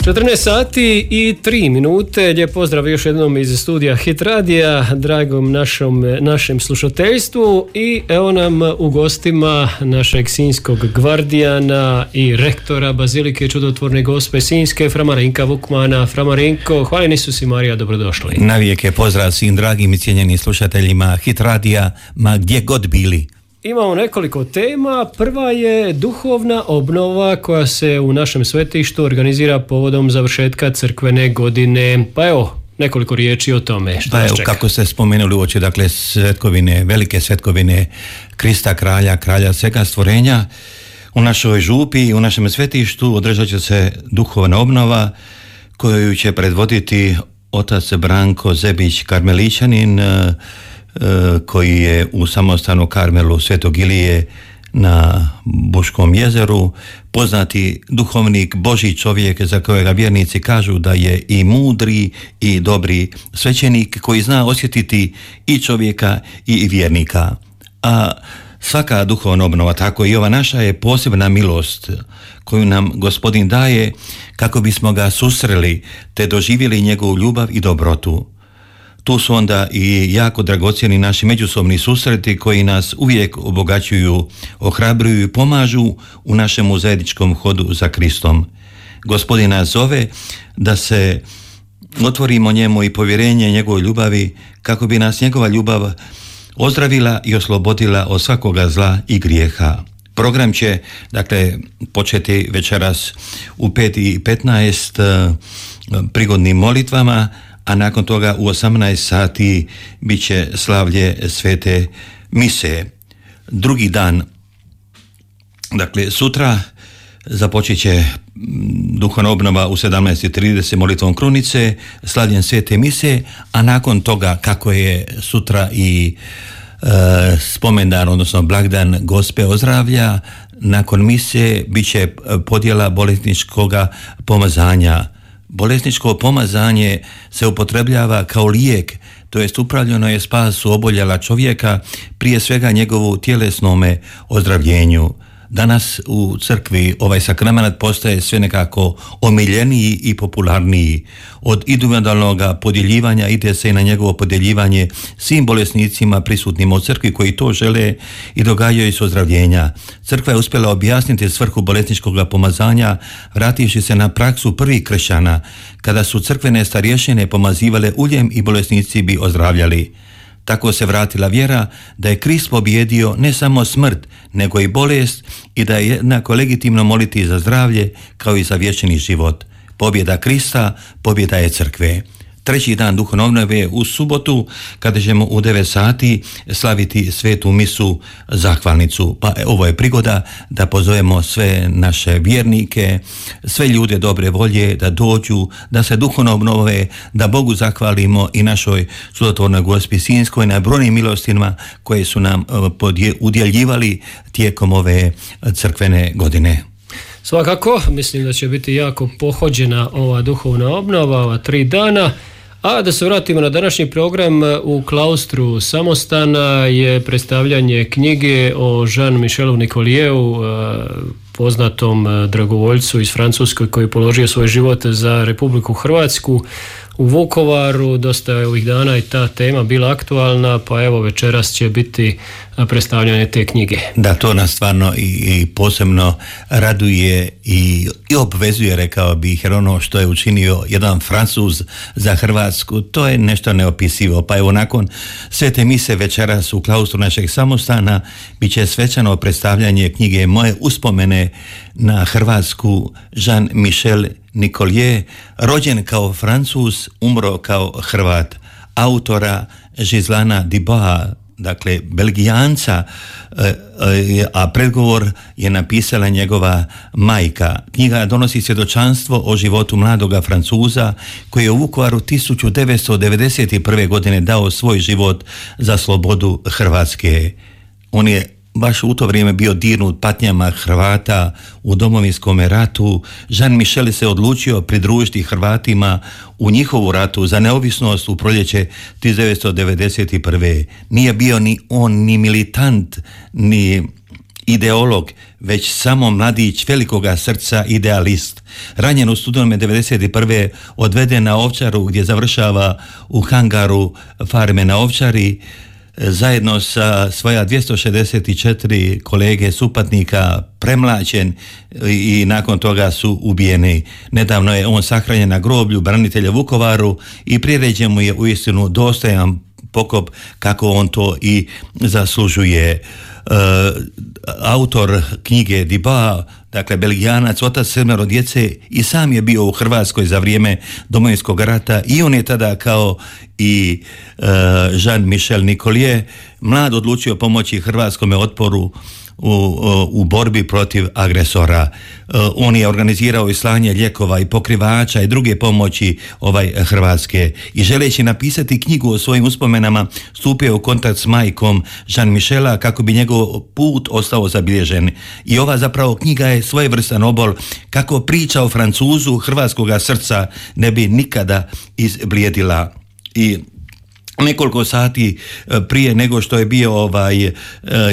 14 sati i 3 minute. Lijep pozdrav još jednom iz studija Hit Radija, dragom našem slušateljstvu, i evo nam u gostima našeg sinjskog gvardijana i rektora Bazilike Čudotvorne Gospe Sinjske, fra Marinka Vukmana. Fra Marinko, hvala Isus i Marija, dobrodošli. Navijek pozdrav svim dragim i cijenjenim slušateljima Hit Radija, ma gdje god bili. Imamo nekoliko tema. Prva je duhovna obnova koja se u našem svetištu organizira povodom završetka crkvene godine. Pa evo, nekoliko riječi o tome. Što nas čeka? Kako ste spomenuli uoči, dakle, svetkovine, velike svetkovine Krista kralja svega stvorenja, u našoj župi i u našem svetištu održat će se duhovna obnova koju će predvoditi otac Branko Zebić, karmelićanin, koji je u samostanu Karmelu Svetog Ilije na Buškom jezeru, poznati duhovnik, Božji čovjek za kojega vjernici kažu da je i mudri i dobri svećenik koji zna osjetiti i čovjeka i vjernika. A svaka duhovna obnova, tako i ova naša, je posebna milost koju nam Gospodin daje kako bismo ga susreli te doživjeli njegovu ljubav i dobrotu. Tu su onda i jako dragocjeni naši međusobni susreti koji nas uvijek obogaćuju, ohrabruju i pomažu u našem zajedničkom hodu za Kristom. Gospodin nas zove da se otvorimo njemu i povjerenje njegovoj ljubavi kako bi nas njegova ljubav ozdravila i oslobodila od svakoga zla i grijeha. Program će, dakle, početi večeras u 5:15 prigodnim molitvama, a nakon toga u 18 sati bit će slavlje svete mise. Drugi dan, dakle sutra, započet će duhovna obnova u 17:30 molitvom krunice, slavljem svete mise, a nakon toga, kako je sutra i spomendan, odnosno blagdan Gospe Ozdravlja, nakon mise bit će podjela bolesničkoga pomazanja. Bolesničko pomazanje se upotrebljava kao lijek, to jest upravljeno je spasu oboljela čovjeka, prije svega njegovu tjelesnome ozdravljenju. Danas u crkvi ovaj sakrament postaje sve nekako omiljeniji i popularniji. Od individualnog podjeljivanja ide se i na njegovo podjeljivanje svim bolesnicima prisutnim u crkvi koji to žele i događaju se ozdravljenja. Crkva je uspjela objasniti svrhu bolesničkog pomazanja vrativši se na praksu prvih kršćana, kada su crkvene starješine pomazivale uljem i bolesnici bi ozdravljali. Tako se vratila vjera da je Krist pobjedio ne samo smrt, nego i bolest i da je jednako legitimno moliti za zdravlje kao i za vječni život. Pobjeda Krista, pobjeda je crkve. Treći dan duhovne obnove u subotu, kada ćemo u 9 sati slaviti svetu misu zahvalnicu. Pa ovo je prigoda da pozovemo sve naše vjernike, sve ljude dobre volje da dođu, da se duhovno obnove, da Bogu zahvalimo i našoj Čudotvornoj Gospi Sinjskoj na brojnim milostima koje su nam udjeljivali tijekom ove crkvene godine. Svakako, mislim da će biti jako pohođena ova duhovna obnova, ova 3 dana. A da se vratimo na današnji program, u klaustru Samostana je predstavljanje knjige o Jean-Michelu Nicolieu, poznatom dragovoljcu iz Francuske koji je položio svoj život za Republiku Hrvatsku u Vukovaru. Dosta je ovih dana i ta tema bila aktualna, pa evo večeras će biti predstavljanje te knjige. Da, to nas stvarno i posebno raduje i obvezuje, rekao bih, jer ono što je učinio jedan Francuz za Hrvatsku, to je nešto neopisivo. Pa evo, nakon svete mise večeras u klaustru našeg Samostana bit će svečano predstavljanje knjige Moje uspomene na Hrvatsku, Jean-Michel Nicolieu, rođen kao Francuz, umro kao Hrvat, autora Gislana Diboa, dakle Belgijanca, a predgovor je napisala njegova majka. Knjiga donosi svjedočanstvo o životu mladoga Francuza koji je u Vukovaru 1991. godine dao svoj život za slobodu Hrvatske. On je baš u to vrijeme bio dirnut patnjama Hrvata u Domovinskom ratu. Jean-Michel se odlučio pridružiti Hrvatima u njihovu ratu za neovisnost u proljeće 1991. Nije bio ni on ni militant, ni ideolog, već samo mladić velikoga srca, idealist. Ranjen u studenome 1991. odveden na Ovčaru gdje završava u hangaru farme na Ovčari, zajedno sa svoja 264 kolege supatnika premlaćen i nakon toga su ubijeni. Nedavno je on sahranjen na groblju branitelja Vukovaru i priređen mu je uistinu dostojan pokop kako on to i zaslužuje. Autor knjige Diba, dakle Belgijanac, otac 7 djece, i sam je bio u Hrvatskoj za vrijeme Domovinskog rata i on je tada kao i Jean-Michel Nicollier mlad odlučio pomoći hrvatskom otporu u borbi protiv agresora. On je organizirao i slanje lijekova i pokrivača i druge pomoći Hrvatske i želeći napisati knjigu o svojim uspomenama stupio u kontakt s majkom Jean-Michela kako bi njegov put ostao zabilježen. I ova zapravo knjiga je svojevrstan obol kako priča o Francuzu hrvatskoga srca ne bi nikada izblijedila. I nekoliko sati prije nego što je bio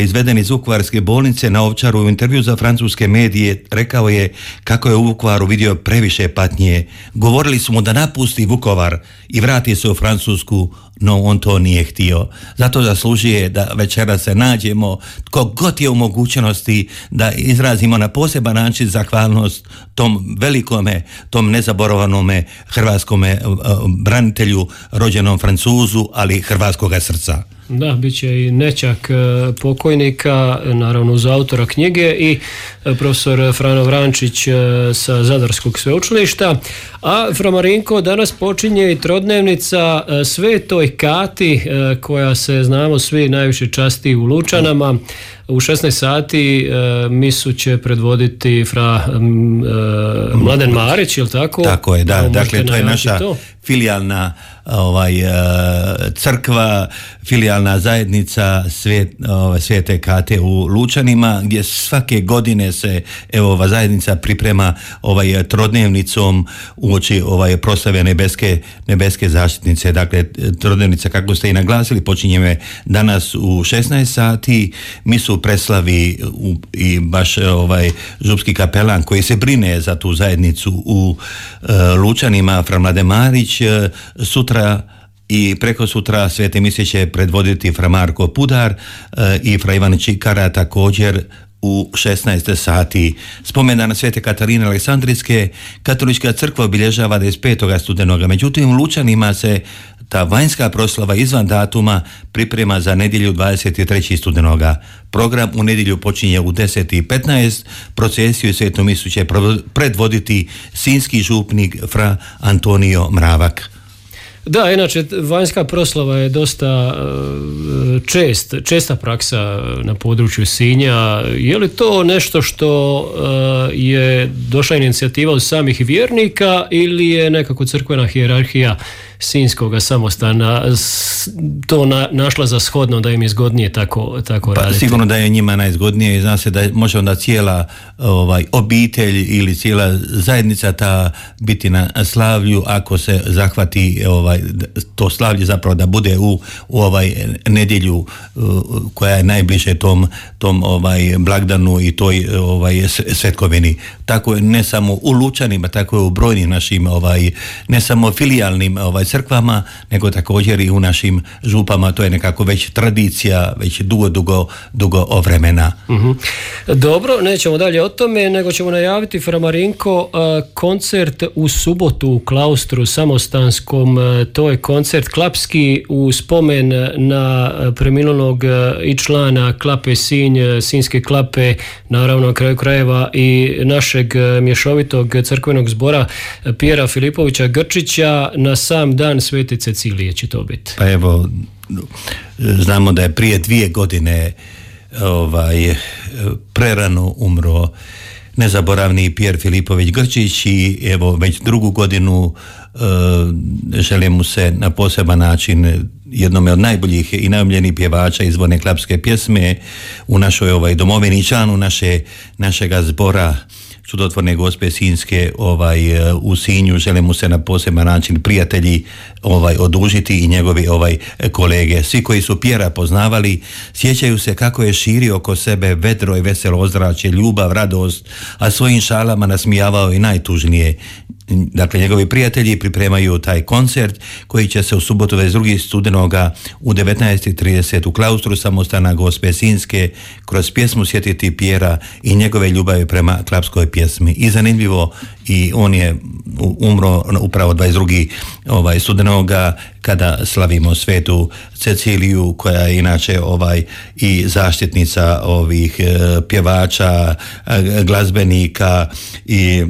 izveden iz Vukovarske bolnice na Ovčaru u intervju za francuske medije rekao je kako je u Vukovaru vidio previše patnje. Govorili su mu da napusti Vukovar i vrati se u Francusku, no on to nije htio. Zato zaslužuje da večera se nađemo, tko god je u mogućnosti da izrazimo na poseban način zahvalnost tom velikome, tom nezaboravanome hrvatskome branitelju, rođenom Francuzu, ali hrvatskoga srca. Da, bit će i nećak pokojnika, naravno uz autora knjige, i profesor Frano Vrančić sa Zadarskog sveučilišta. A Fra Marinko, danas počinje i trodnevnica Svetoj Kati, koja se, znamo svi, najviše časti u Lučanama. U 16 sati misu će predvoditi Fra Mladen Marić, je li tako? Tako je, da. Dakle, to je naša filijalna crkva, filijalna zajednica Svete Kate u Lučanima, gdje svake godine se ova zajednica priprema trodnevnicom uoči proslave nebeske zaštitnice. Dakle, trodnevnica, kako ste i naglasili, počinje danas u 16 sati. Misu preslavi i baš župski kapelan koji se brine za tu zajednicu u Lučanima, Fra Mladen Marić. Sutra i preko sutra svete mise će predvoditi Fra Marko Pudar i Fra Ivan Čikara također u 16 sati. Spomendana Svete Katarine Aleksandrijske katolička crkva obilježava 25. studenoga. Međutim, u Lučanima se ta vanjska proslava izvan datuma priprema za nedjelju 23. studenoga. Program u nedjelju počinje u 10:15. Procesiju i svetu misu će predvoditi sinjski župnik Fra Antonio Mravak. Da, inače vanjska proslava je dosta česta praksa na području Sinja. Je li to nešto što je došla inicijativa od samih vjernika ili je nekako crkvena hijerarhija sinjskoga samostana to našla za shodno da im je zgodnije tako raditi? Sigurno da je njima najzgodnije i zna se da može onda cijela obitelj ili cijela zajednica ta biti na slavlju ako se zahvati to slavlje zapravo da bude u nedjelju koja je najbliže tom blagdanu i toj svetkovini. Tako je ne samo u Lučanima, tako je u brojnim našim ne samo filijalnim crkvama, nego također i u našim župama. To je nekako već tradicija, već dugo vremena. Uh-huh. Dobro, nećemo dalje o tome, nego ćemo najaviti, Fra Marinko, koncert u subotu u Klaustru samostanskom. To je koncert klapski u spomen na preminulog i člana Klape Sinj, Sinjske klape, naravno na kraju krajeva i našeg mješovitog crkvenog zbora Pjera Filipovića Grčića. Na sam dan Svete Cecilije će to biti. Pa evo, znamo da je prije 2 godine prerano umro nezaboravni Pjer Filipović Grčić i evo već 2. godinu želim mu se na poseban način, jednome od najboljih i najomiljenijih pjevača izvorne klapske pjesme u našoj domovini, članu našega zbora, čudotvorne Gospe Sinjske u Sinju. Žele mu se na poseban način prijatelji odužiti i njegovi kolege. Svi koji su Pjera poznavali sjećaju se kako je širio oko sebe vedro i veselo ozračje, ljubav, radost, a svojim šalama nasmijavao i najtužnije. Dakle, njegovi prijatelji pripremaju taj koncert koji će se u subotu 22. studenoga u 19:30 u klaustru samostana Gospe Sinjske kroz pjesmu sjetiti Pjera i njegove ljubavi prema klapskoj pjesmi. I zanimljivo, i on je umro upravo 22. studenoga kada slavimo svetu Ceciliju, koja je inače i zaštitnica ovih pjevača, glazbenika, i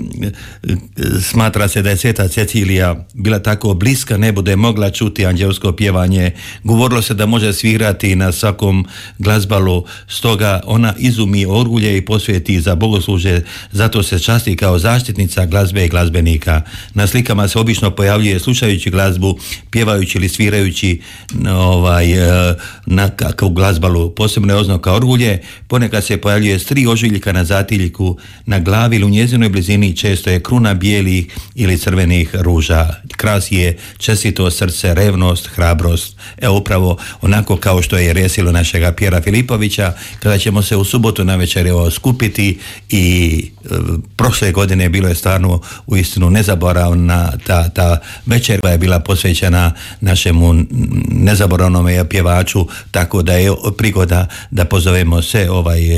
smatra se da je sveta Cecilija bila tako bliska nebu da je mogla čuti anđelsko pjevanje. Govorilo se da može svirati na svakom glazbalu, stoga ona izumi orgulje i posvijeti za bogoslužje, zato se časti kao zaštitnica glazbe i glazbenika. Na slikama se obično pojavljuje slušajući glazbu, pjevajući ili svirajući na glazbalu. Posebno je oznaka orgulje, ponekad se pojavljuje s 3 ožiljka na zatiljku, na glavi ili u njezinoj blizini često je kruna bijelih ili crvenih ruža. Kras je čestito srce, revnost, hrabrost. Evo upravo onako kao što je resilo našega Pjera Filipovića, kada ćemo se u subotu navečer skupiti, i prošle godine bilo je stvarno uistinu nezaboravna ta večer koja je bila posvećena našemu nezaboravnom pjevaču, tako da je prigoda da pozovemo sve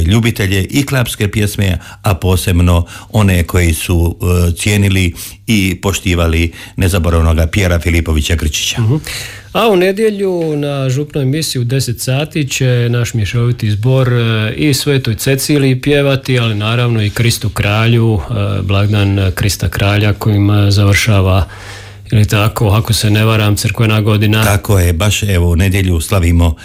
ljubitelje i klapske pjesme, a posebno one koji su cijenili i poštivali nezaboravnog Pjera Filipovića Grčića. A u nedjelju na župnoj misi u 10 sati će naš mješoviti zbor i Svetoj Ceciliji pjevati, ali naravno i Kristu kralju, blagdan Krista kralja kojim završava, ili tako, ako se ne varam, crkvena godina. Tako je, baš evo u nedjelju slavimo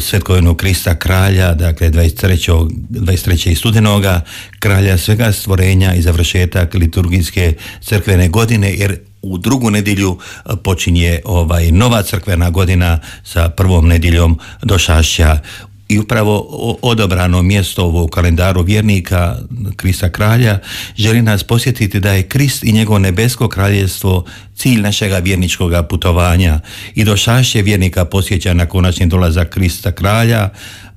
svetkovinu Krista kralja, dakle 23. studenoga, kralja svega stvorenja i završetak liturgijske crkvene godine, jer u drugu nedjelju počinje nova crkvena godina sa prvom nedjeljom došašća. I upravo odabrano mjesto u kalendaru vjernika Krista kralja želi nas posjetiti da je Krist i njegovo nebesko kraljevstvo cilj našega vjerničkog putovanja, i došašće vjernika posjeća na konačni dolazak Krista kralja,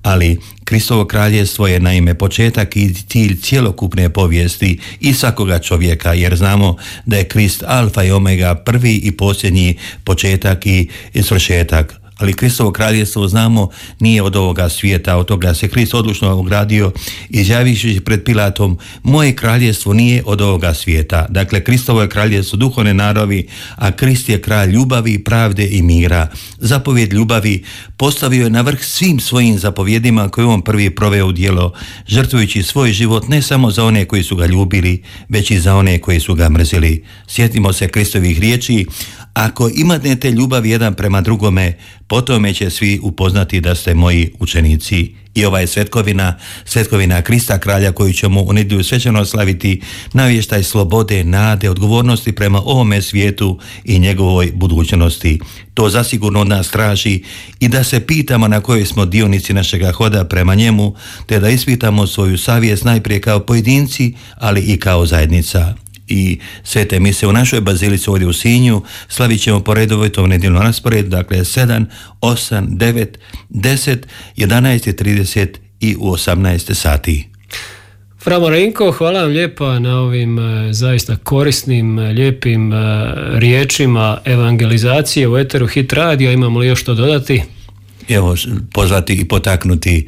ali Kristovo kraljevstvo je naime početak i cilj cjelokupne povijesti i svakoga čovjeka, jer znamo da je Krist alfa i omega, prvi i posljednji, početak i svršetak. Ali Kristovo kraljevstvo, znamo, nije od ovoga svijeta. Od toga se Krist odlučno ogradio, izjavivši pred Pilatom: moje kraljevstvo nije od ovoga svijeta. Dakle, Kristovo je kraljevstvo duhovne naravi, a Krist je kralj ljubavi, pravde i mira. Zapovjed ljubavi postavio je na vrh svim svojim zapovjedima koje on prvi proveo u djelo, žrtvujući svoj život ne samo za one koji su ga ljubili, već i za one koji su ga mrzili. Sjetimo se Kristovih riječi: ako imate ljubav jedan prema drugome, potome će svi upoznati da ste moji učenici. I ova je svetkovina Krista kralja koju ćemo u nedjelju svečano slaviti, navještaj slobode, nade, odgovornosti prema ovome svijetu i njegovoj budućnosti. To zasigurno od nas traži i da se pitamo na kojoj smo dionici našega hoda prema njemu, te da ispitamo svoju savjest najprije kao pojedinci, ali i kao zajednica. I svete mise u našoj bazilici ovdje u Sinju slavit ćemo po redovitom nedjeljnom rasporedu, dakle 7, 8, 9, 10, 11:30 i u 18 sati. Fra Marinko, hvala vam lijepa na ovim zaista korisnim, lijepim riječima evangelizacije u eteru Hit radija. Imamo li još što dodati? Evo, pozvati i potaknuti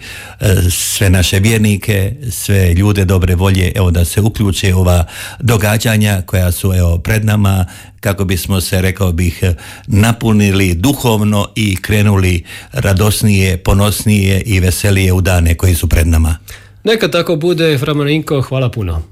sve naše vjernike, sve ljude dobre volje, evo, da se uključe ova događanja koja su pred nama, kako bismo se, rekao bih, napunili duhovno i krenuli radosnije, ponosnije i veselije u dane koji su pred nama. Neka tako bude, Fra Marinko, hvala puno.